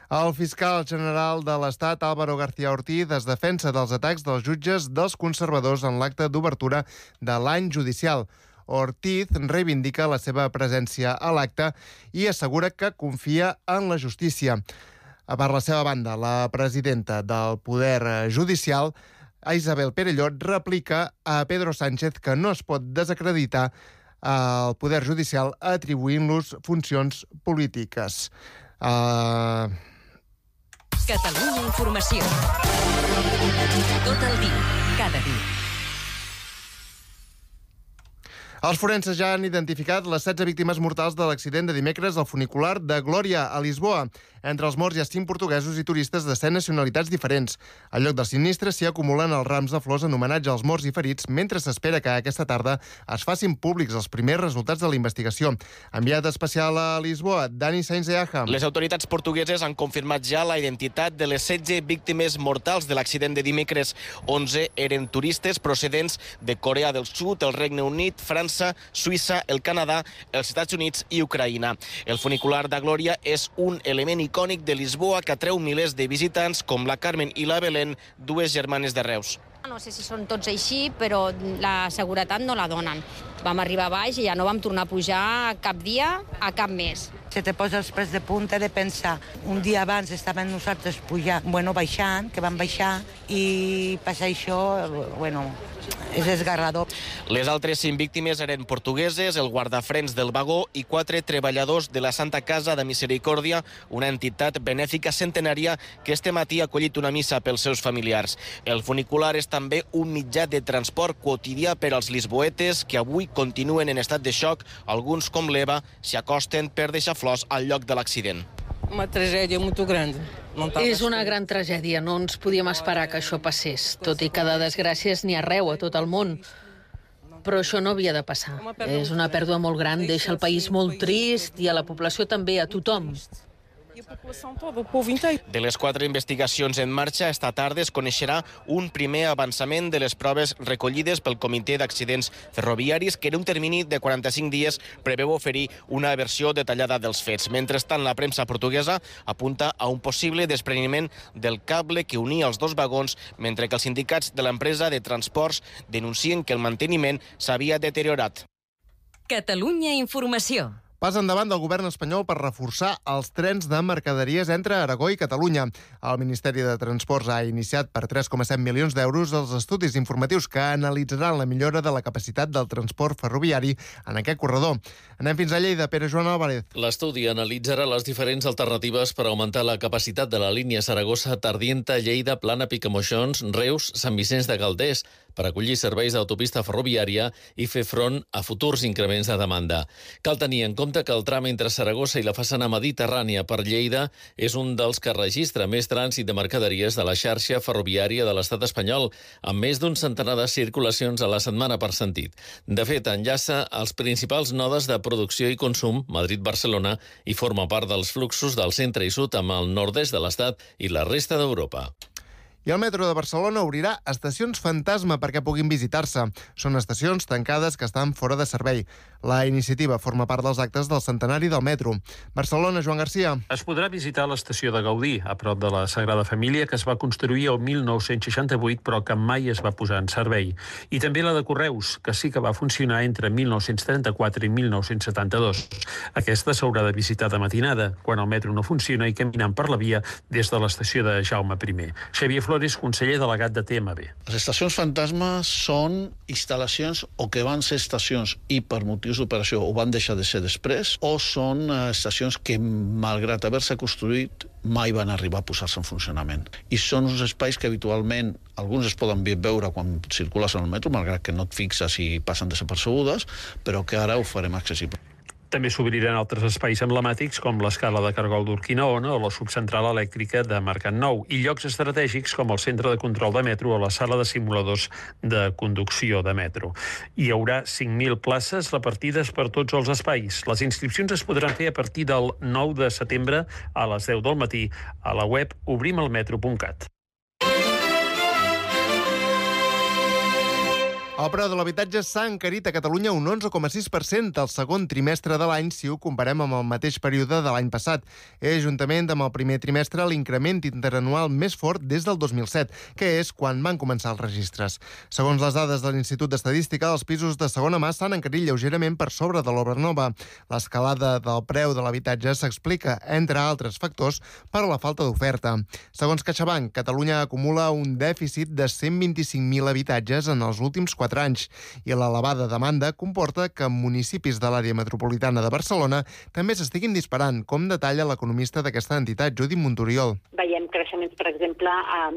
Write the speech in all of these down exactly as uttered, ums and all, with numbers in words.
El fiscal general de l'Estat, Álvaro García Ortiz, es defensa dels atacs dels jutges dels conservadors en l'acte d'obertura de l'any judicial. Ortiz reivindica la seva presència a l'acte i assegura que confia en la justícia. Per la seva banda, la presidenta del Poder Judicial, Isabel Perelló, replica a Pedro Sánchez que no es pot desacreditar el Poder Judicial atribuint-los funcions polítiques. Uh... Catalunya Informació. Tot el dia, cada dia. Els forenses ja han identificat les setze víctimes mortals de l'accident de dimecres al funicular de Glòria, a Lisboa. Entre els morts hi ha cinc portuguesos i turistes de set nacionalitats diferents. Al lloc del sinistre s'hi acumulen els rams de flors en homenatge als morts i ferits, mentre s'espera que aquesta tarda es facin públics els primers resultats de la investigació. Enviat especial a Lisboa, Dani Sainz de Aja. Les autoritats portugueses han confirmat ja la identitat de les setze víctimes mortals de l'accident de dimecres. onze eren turistes procedents de Corea del Sud, el Regne Unit, França, Suïssa, el Canadà, els Estats Units i Ucraïna. El funicular de Glòria és un element icònic de Lisboa que atreu milers de visitants com la Carmen i la Belén, dues germanes de Reus. No sé si són tots així, però la seguretat no la donen. Vam arribar a baix i ja no vam tornar a pujar cap dia a cap mes. Se te posa els pèls de punta de pensar. Un dia abans estàvem nosaltres pujant, bueno, baixant, que vam baixar, i passar això, bueno, és esgarrador. Les altres cinc víctimes eren portugueses, el guardafrens del vagó i quatre treballadors de la Santa Casa de Misericòrdia, una entitat benèfica centenària que este matí ha acollit una missa pels seus familiars. El funicular és també un mitjà de transport quotidià per als lisboetes que avui continuen en estat de xoc. Alguns, com l'Eva, s'hi acosten per deixar flors al lloc de l'accident. Una tragèdia molt gran. És una gran tragèdia, no ens podíem esperar que això passés, tot i que de desgràcies n'hi ha arreu a tot el món. Però això no havia de passar. És una pèrdua molt gran, deixa el país molt trist i a la població també, a tothom. De les quatre investigacions en marxa, esta tarda es coneixerà un primer avançament de les proves recollides pel Comitè d'Accidents Ferroviaris, que en un termini de quaranta-cinc dies preveu oferir una versió detallada dels fets. Mentrestant, la premsa portuguesa apunta a un possible despreniment del cable que unia els dos vagons, mentre que els sindicats de l'empresa de transports denuncien que el manteniment s'havia deteriorat. Catalunya Informació. Pas endavant del govern espanyol per reforçar els trens de mercaderies entre Aragó i Catalunya. El Ministeri de Transports ha iniciat per tres coma set milions d'euros els estudis informatius que analitzaran la millora de la capacitat del transport ferroviari en aquest corredor. Anem fins a Lleida. Pere Joan Álvarez. L'estudi analitzarà les diferents alternatives per augmentar la capacitat de la línia Saragossa, Tardienta, Lleida, Plana, Picamoixons, Reus, Sant Vicenç de Calders, per acollir serveis d'autopista ferroviària i fer front a futurs increments de demanda. Cal tenir en compte que el tram entre Saragossa i la façana mediterrània per Lleida és un dels que registra més trànsit de mercaderies de la xarxa ferroviària de l'estat espanyol, amb més d'un centenar de circulacions a la setmana per sentit. De fet, enllaça els principals nodes de producció i consum, Madrid-Barcelona, i forma part dels fluxos del centre i sud amb el nord-est de l'estat i la resta d'Europa. I el metro de Barcelona obrirà estacions fantasma perquè puguin visitar-se. Són estacions tancades que estan fora de servei. La iniciativa forma part dels actes del centenari del metro. Barcelona, Joan Garcia. Es podrà visitar l'estació de Gaudí, a prop de la Sagrada Família, que es va construir el mil nou-cents seixanta-vuit, però que mai es va posar en servei. I també la de Correus, que sí que va funcionar entre mil nou-cents trenta-quatre i mil nou-cents setanta-dos. Aquesta s'haurà de visitar de matinada, quan el metro no funciona i caminant per la via des de l'estació de Jaume primer. Xavier Flores, conseller delegat de T M B. Les estacions fantasma són instal·lacions o que van ser estacions i per motius d'operació ho van deixar de ser després, o són estacions que, malgrat haver-se construït, mai van arribar a posar-se en funcionament. I són uns espais que habitualment alguns es poden veure quan circules en el metro, malgrat que no et fixes i passen desapercebudes, però que ara ho farem accessible. També s'obriran altres espais emblemàtics com l'escala de cargol d'Urquinaona o la subcentral elèctrica de Mercat Nou i llocs estratègics com el centre de control de metro o la sala de simuladors de conducció de metro. Hi haurà cinc mil places repartides per tots els espais. Les inscripcions es podran fer a partir del nou de setembre a les deu del matí a la web obrimelmetro punt cat. El preu de l'habitatge s'ha encarit a Catalunya un onze coma sis per cent al segon trimestre de l'any si ho comparem amb el mateix període de l'any passat. És, juntament amb el primer trimestre, l'increment interanual més fort des del dos mil set, que és quan van començar els registres. Segons les dades de l'Institut d'Estadística, els pisos de segona mà s'han encarit lleugerament per sobre de l'obra nova. L'escalada del preu de l'habitatge s'explica, entre altres factors, per la falta d'oferta. Segons CaixaBank, Catalunya acumula un dèficit de cent vint-i-cinc mil habitatges en els últims quatre anys i l'elevada demanda comporta que municipis de l'àrea metropolitana de Barcelona també s'estiguin disparant, com detalla l'economista d'aquesta entitat, Judit Montoriol. Veiem creixements, per exemple,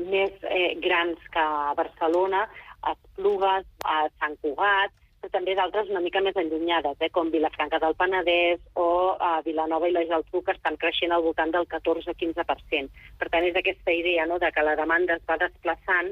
més eh, grans que a Barcelona, a Esplugues, a Sant Cugat, però també d'altres una mica més allunyades, eh, com Vilafranca del Penedès o a Vilanova i la Geltrú, que estan creixent al voltant del catorze a quinze per cent. Per tant, és aquesta idea, no?, de que la demanda es va desplaçant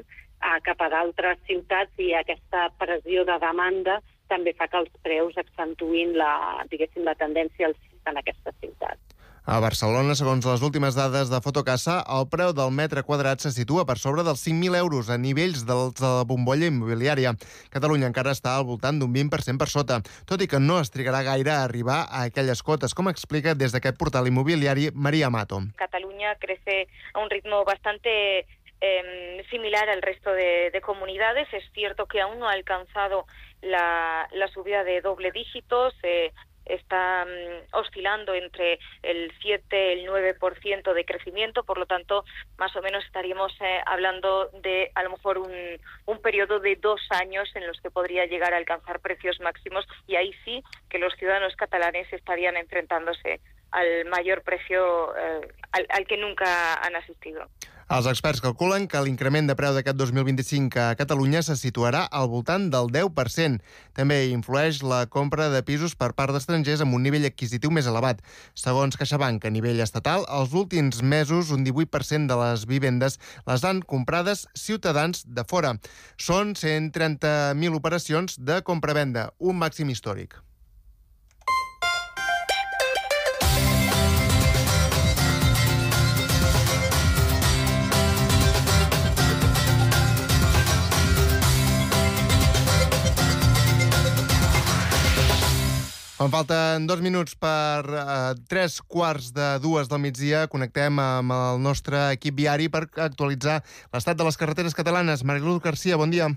cap a d'altres ciutats i aquesta pressió de demanda també fa que els preus accentuïn la, diguéssim, la tendència alcista en aquestes ciutats. A Barcelona, segons les últimes dades de Fotocasa, el preu del metre quadrat se situa per sobre dels cinc mil euros a nivells de la bombolla immobiliària. Catalunya encara està al voltant d'un vint per cent per sota, tot i que no es trigarà gaire a arribar a aquelles cotes, com explica des d'aquest portal immobiliari María Mato. Catalunya crece a un ritmo bastante Eh, similar al resto de, de comunidades. Es cierto que aún no ha alcanzado la, la subida de doble dígitos, eh, está um, oscilando entre el siete y el nueve por ciento de crecimiento, por lo tanto, más o menos estaríamos eh, hablando de a lo mejor un, un periodo de dos años en los que podría llegar a alcanzar precios máximos, y ahí sí que los ciudadanos catalanes estarían enfrentándose al mayor precio eh, al, al que nunca han asistido. Els experts calculen que l'increment de preu d'aquest dos mil vint-i-cinc a Catalunya se situarà al voltant del deu per cent. També influeix la compra de pisos per part d'estrangers amb un nivell adquisitiu més elevat. Segons CaixaBank, a nivell estatal, els últims mesos un divuit per cent de les vivendes les han comprades ciutadans de fora. Són cent trenta mil operacions de compra-venda, un màxim històric. Quan falten dos minuts per eh, tres quarts de dues del migdia, connectem amb el nostre equip viari per actualitzar l'estat de les carreteres catalanes. Mariluz Garcia, bon dia.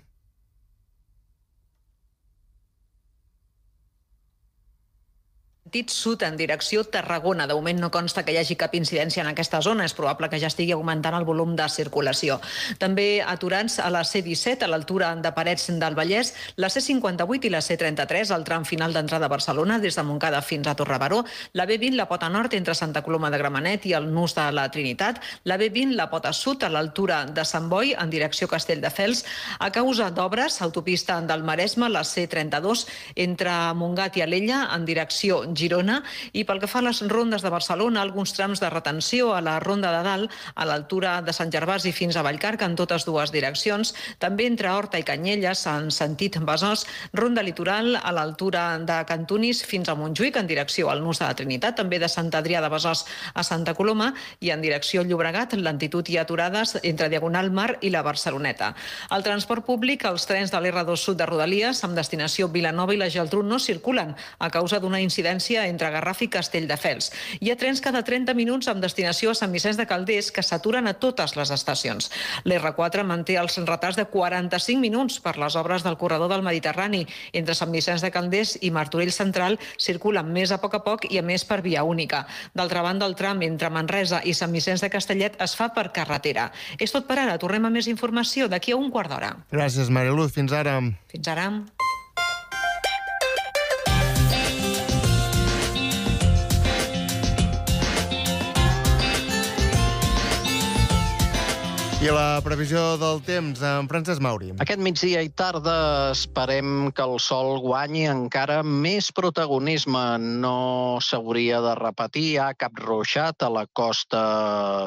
Sud en direcció Tarragona. De moment no consta que hi hagi cap incidència en aquesta zona. És probable que ja estigui augmentant el volum de circulació. També aturats a la C disset, a l'altura de Parets del Vallès, la C cinquanta-vuit i la C trenta-tres, al tram final d'entrada a Barcelona, des de Montcada fins a Torrebaró, la B vint, la pota nord, entre Santa Coloma de Gramenet i el Nus de la Trinitat, la B vint, la pota sud, a l'altura de Sant Boi, en direcció Castelldefels, a causa d'obres, autopista del Maresme, la C trenta-dos, entre Montgat i Alella, en direcció Girona, i pel que fa a les rondes de Barcelona, alguns trams de retenció a la Ronda de Dalt, a l'altura de Sant Gervasi fins a Vallcarca, en totes dues direccions, també entre Horta i Canyelles, en sentit Besòs, ronda litoral a l'altura de Cantunis fins a Montjuïc, en direcció al Nus de la Trinitat, també de Sant Adrià de Besòs a Santa Coloma, i en direcció Llobregat, lentitud i aturades entre Diagonal Mar i la Barceloneta. El transport públic, els trens de l'R dos Sud de Rodalies, amb destinació Vilanova i la Geltrú, no circulen a causa d'una incidència entre Garraf i Castelldefels. Hi ha trens cada trenta minuts amb destinació a Sant Vicenç de Calders que s'aturen a totes les estacions. L'R quatre manté els retards de quaranta-cinc minuts per les obres del corredor del Mediterrani. Entre Sant Vicenç de Calders i Martorell Central circulen més a poc a poc i a més per via única. D'altra banda, el tram entre Manresa i Sant Vicenç de Castellet es fa per carretera. És tot per ara. Tornem a més informació d'aquí a un quart d'hora. Gràcies, Mariluz. Fins ara. Fins ara. I la previsió del temps, en Francesc Mauri. Aquest migdia i tarda esperem que el sol guanyi encara més protagonisme. No s'hauria de repetir. Hi ha cap ruixat a la costa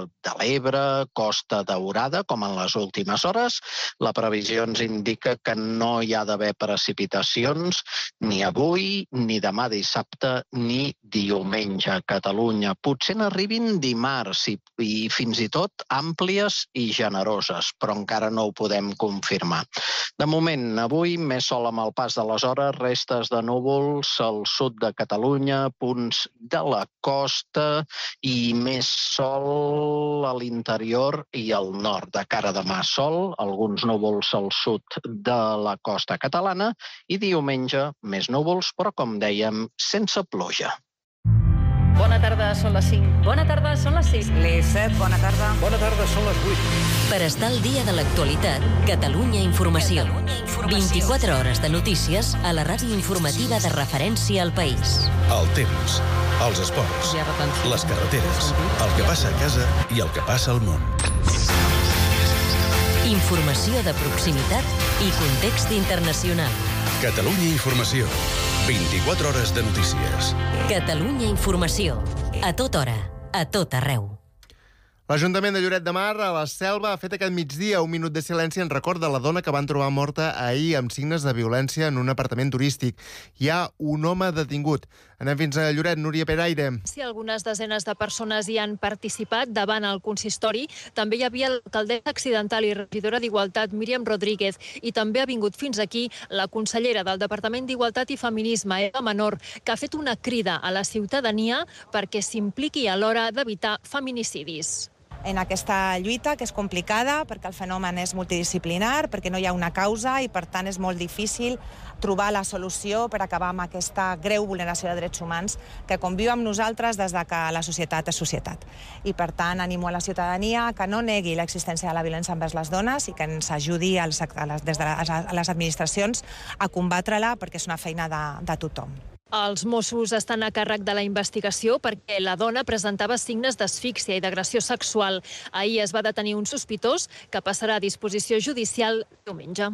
de l'Ebre, Costa Daurada, com en les últimes hores. La previsió ens indica que no hi ha d'haver precipitacions ni avui, ni demà dissabte, ni diumenge a Catalunya. Potser n'arribin dimarts i, i fins i tot àmplies i generoses, però encara no ho podem confirmar. De moment, avui, més sol amb el pas de les hores, restes de núvols al sud de Catalunya, punts de la costa i més sol a l'interior i al nord. De cara a demà, sol, alguns núvols al sud de la costa catalana i diumenge més núvols, però com dèiem, sense pluja. Bona tarda, són les cinc. Bona tarda, són les sis. Les set, bona tarda. Bona tarda, són les vuit. Per estar al dia de l'actualitat, Catalunya Informació. vint-i-quatre hores de notícies a la ràdio informativa de referència al país. El temps, els esports, les carreteres, el que passa a casa i el que passa al món. Informació de proximitat i context internacional. Catalunya Informació. vint-i-quatre hores de notícies. Catalunya Informació. A tota hora, a tot arreu. L'Ajuntament de Lloret de Mar, a la Selva, ha fet aquest migdia un minut de silenci en record de la dona que van trobar morta ahir amb signes de violència en un apartament turístic. Hi ha un home detingut. Anem fins a Lloret, Núria Peraire. Sí, algunes desenes de persones hi han participat davant el consistori. També hi havia l'alcaldessa accidental i regidora d'Igualtat, Míriam Rodríguez, i també ha vingut fins aquí la consellera del Departament d'Igualtat i Feminisme, Eva Menor, que ha fet una crida a la ciutadania perquè s'impliqui a l'hora d'evitar feminicidis. En aquesta lluita, que és complicada, perquè el fenomen és multidisciplinar, perquè no hi ha una causa i, per tant, és molt difícil trobar la solució per acabar amb aquesta greu vulneració de drets humans que conviu amb nosaltres des de que la societat és societat. I, per tant, animo a la ciutadania que no negui l'existència de la violència envers les dones i que ens ajudi als, a les, des de les, a les administracions a combatre-la, perquè és una feina de, de tothom. Els Mossos estan a càrrec de la investigació perquè la dona presentava signes d'asfíxia i d'agressió sexual. Ahir es va detenir un sospitós que passarà a disposició judicial diumenge.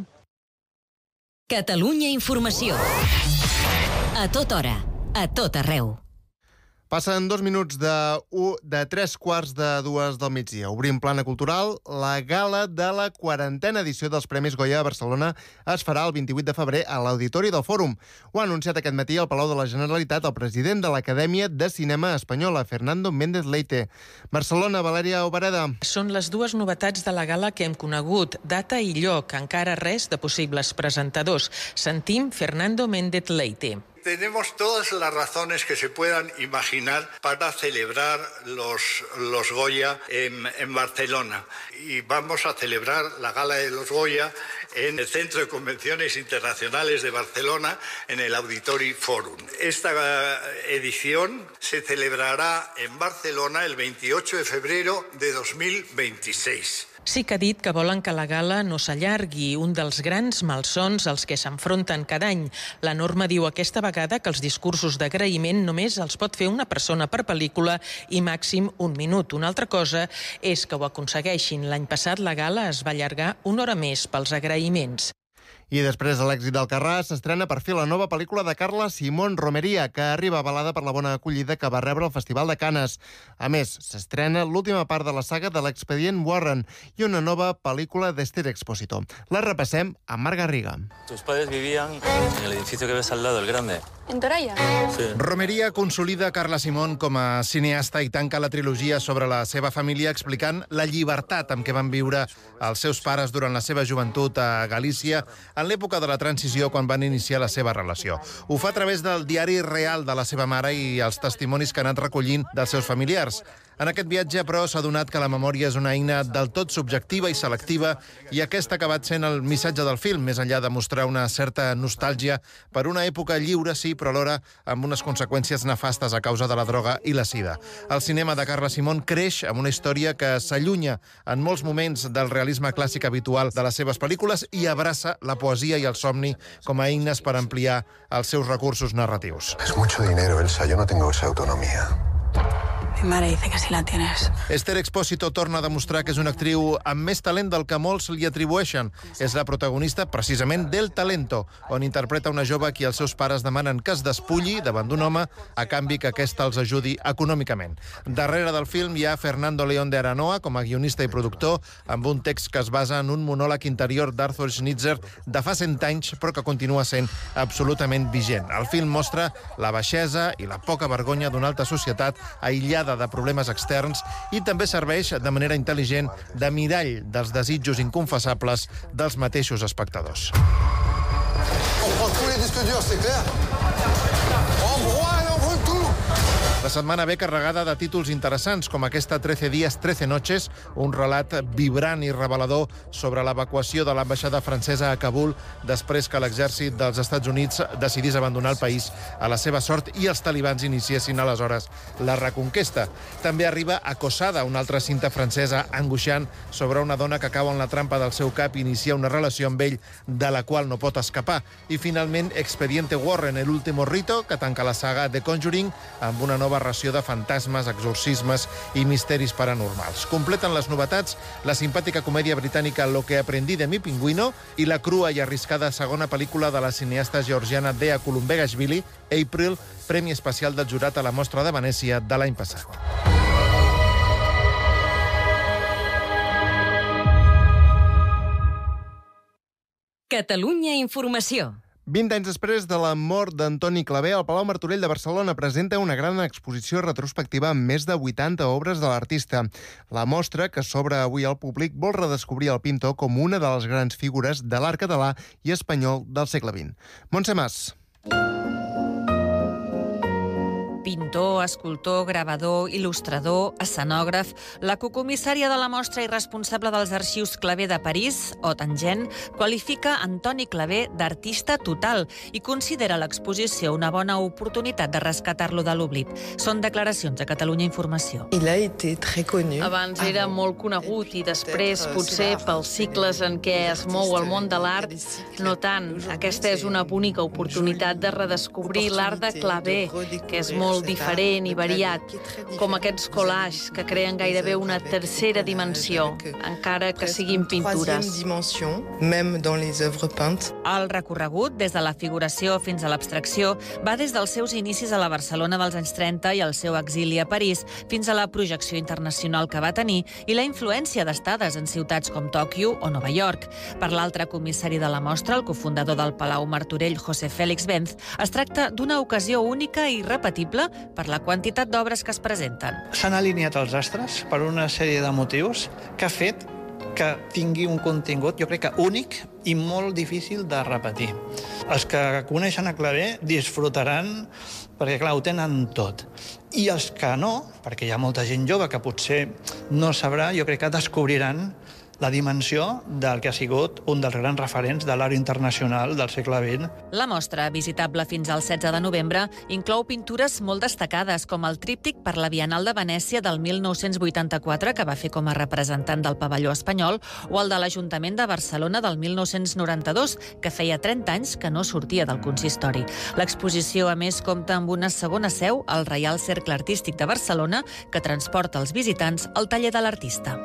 Catalunya Informació. A tota hora, a tot arreu. Passen dos minuts de, u, de tres quarts de dues del migdia. Obrim plana cultural. La gala de la quarantena edició dels Premis Goya a Barcelona es farà el vint-i-vuit de febrer a l'Auditori del Fòrum. Ho ha anunciat aquest matí al Palau de la Generalitat el president de l'Acadèmia de Cinema Espanyola, Fernando Méndez Leite. Barcelona, Valèria Obereda. Són les dues novetats de la gala que hem conegut. Data i lloc, encara res de possibles presentadors. Sentim Fernando Méndez Leite. Tenemos todas las razones que se puedan imaginar para celebrar los, los Goya en, en Barcelona. Y vamos a celebrar la gala de los Goya en el Centro de Convenciones Internacionales de Barcelona, en el Auditori Forum. Esta edición se celebrará en Barcelona el veintiocho de febrero de dos mil veintiséis. Sí que ha dit que volen que la gala no s'allargui, un dels grans malsons als que s'enfronten cada any. La norma diu aquesta vegada que els discursos d'agraïment només els pot fer una persona per pel·lícula i màxim un minut. Una altra cosa és que ho aconsegueixin. L'any passat la gala es va allargar una hora més pels agraïments. I després de l'èxit d'Alcarràs, s'estrena per fi la nova pel·lícula de Carla Simón Romeria, que arriba avalada per la bona acollida que va rebre el Festival de Canes. A més, s'estrena l'última part de la saga de l'expedient Warren i una nova pel·lícula d'Esther Expósito. La repassem amb Marc Garriga. Tus padres vivían en el edificio que ves al lado, el grande. En Toralla? Sí. Romeria consolida Carla Simón com a cineasta i tanca la trilogia sobre la seva família explicant la llibertat amb què van viure els seus pares durant la seva joventut a Galícia en l'època de la transició quan van iniciar la seva relació. Ho fa a través del diari real de la seva mare i els testimonis que ha anat recollint dels seus familiars. En aquest viatge, però, s'ha donat que la memòria és una eina del tot subjectiva i selectiva i aquest ha acabat sent el missatge del film, més enllà de mostrar una certa nostàlgia per una època lliure, sí, però alhora amb unes conseqüències nefastes a causa de la droga i la sida. El cinema de Carla Simón creix amb una història que s'allunya en molts moments del realisme clàssic habitual de les seves pel·lícules i abraça la poesia i el somni com a eines per ampliar els seus recursos narratius. Es mucho dinero, Elsa. Yo no tengo esa autonomía. Mi madre dice que sí la tienes. Esther Expósito torna a demostrar que és una actriu amb més talent del que molts li atribueixen. És la protagonista, precisament, d'El Talento, on interpreta una jove a qui els seus pares demanen que es despulli davant d'un home a canvi que aquest els ajudi econòmicament. Darrere del film hi ha Fernando León de Aranoa com a guionista i productor, amb un text que es basa en un monòleg interior d'Arthur Schnitzer de fa cent anys, però que continua sent absolutament vigent. El film mostra la baixesa i la poca vergonya d'una alta societat aïllada de problemes externs i també serveix de manera intel·ligent de mirall dels desitjos inconfessables dels mateixos espectadors. On prend tous les disques durs, c'est clair? On broie et on brûle tout! La setmana ve carregada de títols interessants, com aquesta trece días, trece noches, un relat vibrant i revelador sobre l'evacuació de l'ambaixada francesa a Kabul després que l'exèrcit dels Estats Units decidís abandonar el país a la seva sort i els talibans iniciessin aleshores la reconquesta. També arriba Acosada, una altra cinta francesa angoixant sobre una dona que cau en la trampa del seu cap i inicia una relació amb ell de la qual no pot escapar. I finalment Expediente Warren, el último rito, que tanca la saga The Conjuring amb una nova ració de fantasmes, exorcismes i misteris paranormals. Completen les novetats la simpàtica comèdia britànica Lo que aprendí de mi pingüino i la crua i arriscada segona pel·lícula de la cineasta georgiana Dea Kulumbegashvili, April, premi especial del jurat a la Mostra de Venècia de l'any passat. Catalunya Informació. vint anys després de la mort d'Antoni Clavé, el Palau Martorell de Barcelona presenta una gran exposició retrospectiva amb més de vuitanta obres de l'artista. La mostra, que s'obre avui al públic, vol redescobrir el pintor com una de les grans figures de l'art català i espanyol del segle vint. Montse Mas. Pintor, escultor, gravador, il·lustrador, escenògraf, la cocomissària de la mostra i responsable dels arxius Clavé de París, O Tangent, qualifica Antoni Clavé d'artista total i considera l'exposició una bona oportunitat de rescatar-lo de l'oblit. Són declaracions a Catalunya Informació. Abans era molt conegut i després, potser pels cicles en què es mou el món de l'art, no tant. Aquesta és una bonica oportunitat de redescobrir l'art de Clavé, que és molt diferent i variat, com aquests collages que creen gairebé una tercera dimensió, encara que siguin pintures. El recorregut, des de la figuració fins a l'abstracció, va des dels seus inicis a la Barcelona dels anys trenta i el seu exili a París, fins a la projecció internacional que va tenir i la influència d'estades en ciutats com Tòquio o Nova York. Per l'altre comissari de la mostra, el cofundador del Palau Martorell, José Félix Benz, es tracta d'una ocasió única i irrepetible per la quantitat d'obres que es presenten. S'han alineat els astres per una sèrie de motius que ha fet que tingui un contingut, jo crec que únic i molt difícil de repetir. Els que coneixen a Clavé disfrutaran perquè, clar, ho tenen tot. I els que no, perquè hi ha molta gent jove que potser no sabrà, jo crec que descobriran la dimensió del que ha sigut un dels grans referents de l'art internacional del segle vint. La mostra, visitable fins al setze de novembre, inclou pintures molt destacades, com el tríptic per la Bienal de Venècia del mil nou-cents vuitanta-quatre, que va fer com a representant del pavelló espanyol, o el de l'Ajuntament de Barcelona del mil nou-cents noranta-dos, que feia trenta anys que no sortia del consistori. L'exposició, a més, compta amb una segona seu al Reial Cercle Artístic de Barcelona, que transporta els visitants al taller de l'artista.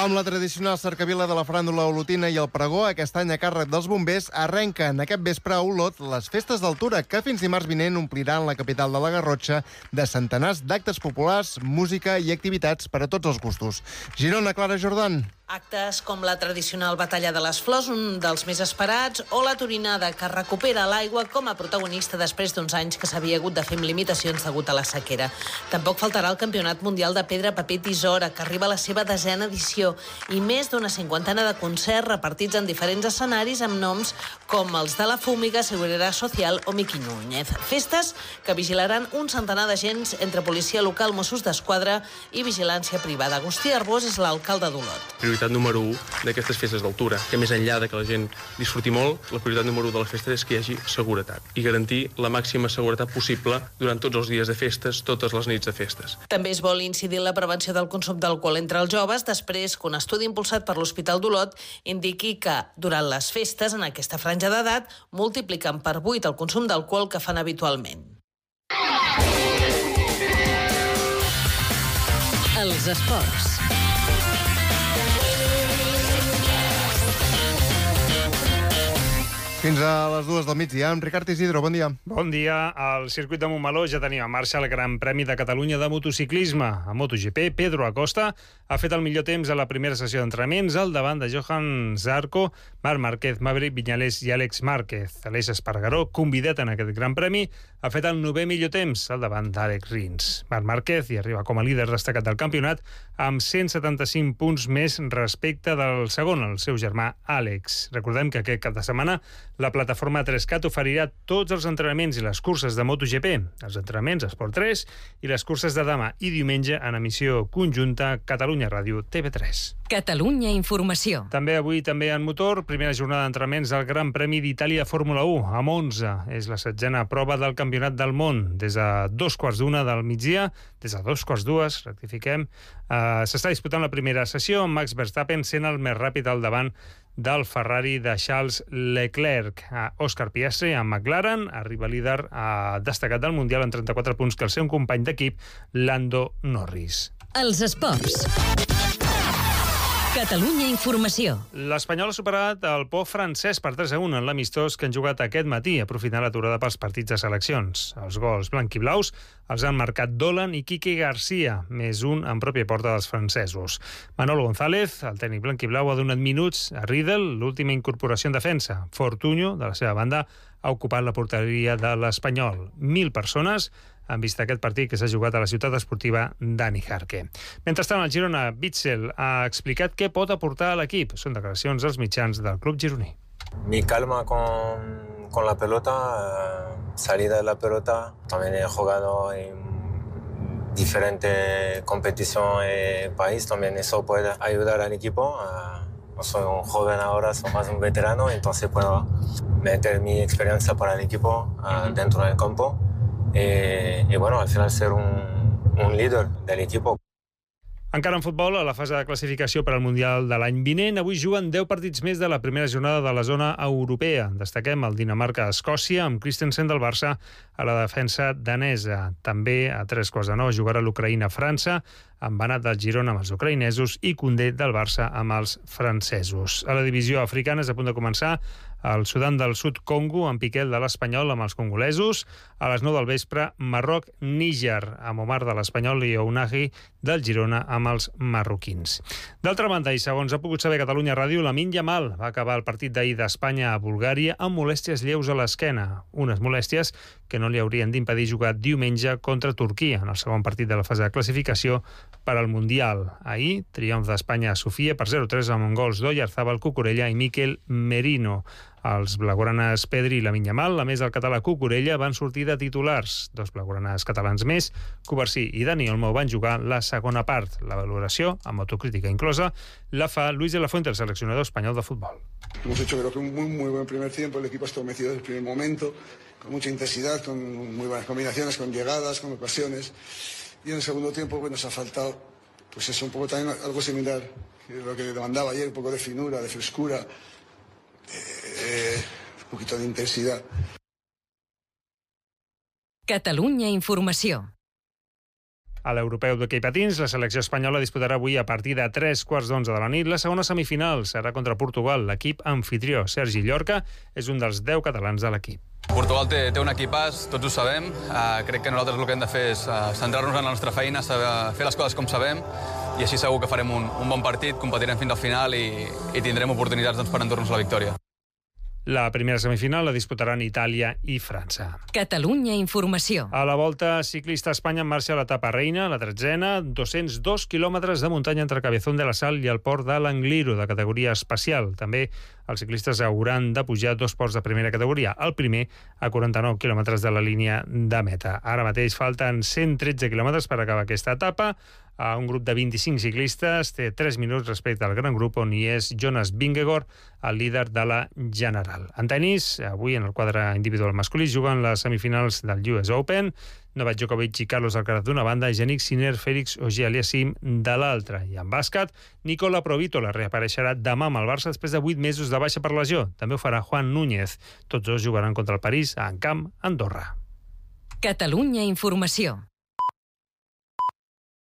Amb la tradicional cercavila de la faràndula olotina i el pregó, aquest any a càrrec dels bombers, arrenquen aquest vespre a Olot les festes d'altura que fins dimarts vinent ompliran la capital de la Garrotxa de centenars d'actes populars, música i activitats per a tots els gustos. Girona, Clara Jordan. Actes com la tradicional Batalla de les Flors, un dels més esperats, o la Torinada, que recupera l'aigua com a protagonista després d'uns anys que s'havia hagut de fer amb limitacions degut a la sequera. Tampoc faltarà el Campionat Mundial de Pedra, Paper i Tisora, que arriba a la seva desena edició, i més d'una cinquantena de concerts repartits en diferents escenaris amb noms com els de la Fúmiga, Seguridad Social o Miqui Núñez. Festes que vigilaran un centenar d'agents entre policia local, Mossos d'Esquadra i vigilància privada. Agustí Arbós és l'alcalde d'Olot. prioritat número u d'aquestes festes d'altura, que més enllà de que la gent disfruti molt, la prioritat número u de les festes és que hi hagi seguretat i garantir la màxima seguretat possible durant tots els dies de festes, totes les nits de festes. També es vol incidir en la prevenció del consum d'alcohol entre els joves, després que un estudi impulsat per l'Hospital d'Olot indiqui que durant les festes, en aquesta franja d'edat, multipliquen per vuit el consum d'alcohol que fan habitualment. Els esports. Fins a les dues del migdia, amb Ricard Isidro, bon dia. Bon dia. Al circuit de Montmeló ja tenim en marxa el Gran Premi de Catalunya de motociclisme. A MotoGP, Pedro Acosta ha fet el millor temps a la primera sessió d'entrenaments al davant de Johan Zarco, Marc Márquez, Maverick Viñales i Àlex Márquez. Aleix Espargaró, convidat en aquest Gran Premi, ha fet el novè millor temps al davant d'Àlex Rins. Marc Márquez hi arriba com a líder destacat del campionat amb cent setanta-cinc punts més respecte del segon, el seu germà Àlex. Recordem que aquest cap de setmana la plataforma tres cat oferirà tots els entrenaments i les curses de MotoGP, els entrenaments Esport tres i les curses de demà i diumenge en emissió conjunta Catalunya Ràdio T V tres. Catalunya Informació. També avui, també en motor, primera jornada d'entrenaments del Gran Premi d'Itàlia Fórmula u a Monza. És la setzena prova del Campionat del Món. Des de dos quarts d'una del migdia, des de dos quarts dues, rectifiquem, eh, s'està disputant la primera sessió amb Max Verstappen sent el més ràpid al davant del Ferrari de Charles Leclerc. Òscar Piastri, amb McLaren, arriba líder a destacat del Mundial en trenta-quatre punts que el seu company d'equip, Lando Norris. Els esports. Catalunya Informació. L'Espanyol ha superat el Pau francès per tres a un en l'amistós que han jugat aquest matí, aprofitant l'aturada pels partits de seleccions. Els gols blanc-i-blaus els han marcat Dolan i Quique García, més un en pròpia porta dels francesos. Manolo González, el tècnic blanc-i-blau, ha donat minuts a Riedel, l'última incorporació en defensa. Fortunyo, de la seva banda, ha ocupat la porteria de l'Espanyol. Mil persones han vist aquest partit que s'ha jugat a la ciutat esportiva Dani Jarque. Mentrestant, el Girona, Bitzel ha explicat què pot aportar a l'equip. Són declaracions als mitjans del club gironí. Mi calma con, con la pelota, eh, salida de la pelota. También he jugado en diferentes competiciones en el país. También eso puede ayudar al equipo. Eh, no soy un joven ahora, soy más un veterano, entonces puedo meter mi experiencia para el equipo eh, dentro del campo. Eh, i bueno, al final ser un, un líder de l'equip. Encara en futbol, a la fase de classificació per al Mundial de l'any vinent, avui juguen deu partits més de la primera jornada de la zona europea. Destaquem el Dinamarca-Escòcia, amb Christensen del Barça a la defensa danesa. També a tres quarts de nou jugarà l'Ucraïna-França, amb Banat del Girona amb els ucraïnesos i Koundé del Barça amb els francesos. A la divisió africana és a punt de començar el Sudan del Sud Congo, amb Piquel de l'Espanyol amb els congolesos. A les nou del vespre, Marroc-Níger, amb Omar de l'Espanyol i Ounahi del Girona amb els marroquins. D'altra banda, i segons ha pogut saber Catalunya Ràdio, Lamine Yamal va acabar el partit d'ahir d'Espanya a Bulgària amb molèsties lleus a l'esquena. Unes molèsties que no li haurien d'impedir jugar diumenge contra Turquia, en el segon partit de la fase de classificació per al Mundial. Ahir, triomf d'Espanya a Sofia per zero a tres amb gols d'Oyarzabal, Cucurella i Miquel Merino. Els blaugranes Pedri i Lamine Yamal, a més del català Cucurella, van sortir de titulars. Dos blaugranes catalans més, Covarsí i Dani Olmo, van jugar la segona part. La valoració, amb autocrítica inclosa, la fa Luis de la Fuente, el seleccionador espanyol de futbol. Hemos hecho creo que un muy, muy buen primer tiempo, el equipo ha estado metido desde el primer momento, con mucha intensidad, con muy buenas combinaciones, con llegadas, con ocasiones. Y en el segundo tiempo pues, nos ha faltado pues eso, un poco también algo similar, que lo que demandaba ayer, un poco de finura, de frescura, Eh, un poquito de intensidad. Catalunya Informació. A l'europeu d'hoquei patins, la selecció espanyola disputarà avui a partir de tres quarts d'onze de la nit la segona semifinal. Serà contra Portugal. L'equip anfitrió, Sergi Llorca, és un dels deu catalans de l'equip. Portugal té, té un equipàs, tots ho sabem. Uh, crec que nosaltres el que hem de fer és uh, centrar-nos en la nostra feina, saber, fer les coses com sabem, i així segur que farem un, un bon partit, competirem fins al final i, i tindrem oportunitats doncs, per endur-nos la victòria. La primera semifinal la disputaran Itàlia i França. Catalunya Informació. A la Volta Ciclista a Espanya en marxa l'etapa reina, la tretzena, dos-cents dos quilòmetres de muntanya entre Cabezón de la Sal i el port de l'Angliru, de categoria especial. També els ciclistes hauran de pujar dos ports de primera categoria. El primer a quaranta-nou quilòmetres de la línia de meta. Ara mateix falten cent tretze quilòmetres per acabar aquesta etapa. a un grup de vint-i-cinc ciclistes. Té tres minuts respecte al gran grup on hi és Jonas Vingegaard, el líder de la general. En tenis, avui en el quadre individual masculí juguen les semifinals del U S Open. Novak Djokovic i Carlos Alcaraz d'una banda i Jannik Sinner, Félix Auger-Aliassime de l'altra. I en bàsquet, Nicola Provítola reapareixerà demà amb el Barça després de vuit mesos de baixa per lesió. També ho farà Juan Núñez. Tots dos jugaran contra el París a Encamp, Andorra. Catalunya Informació.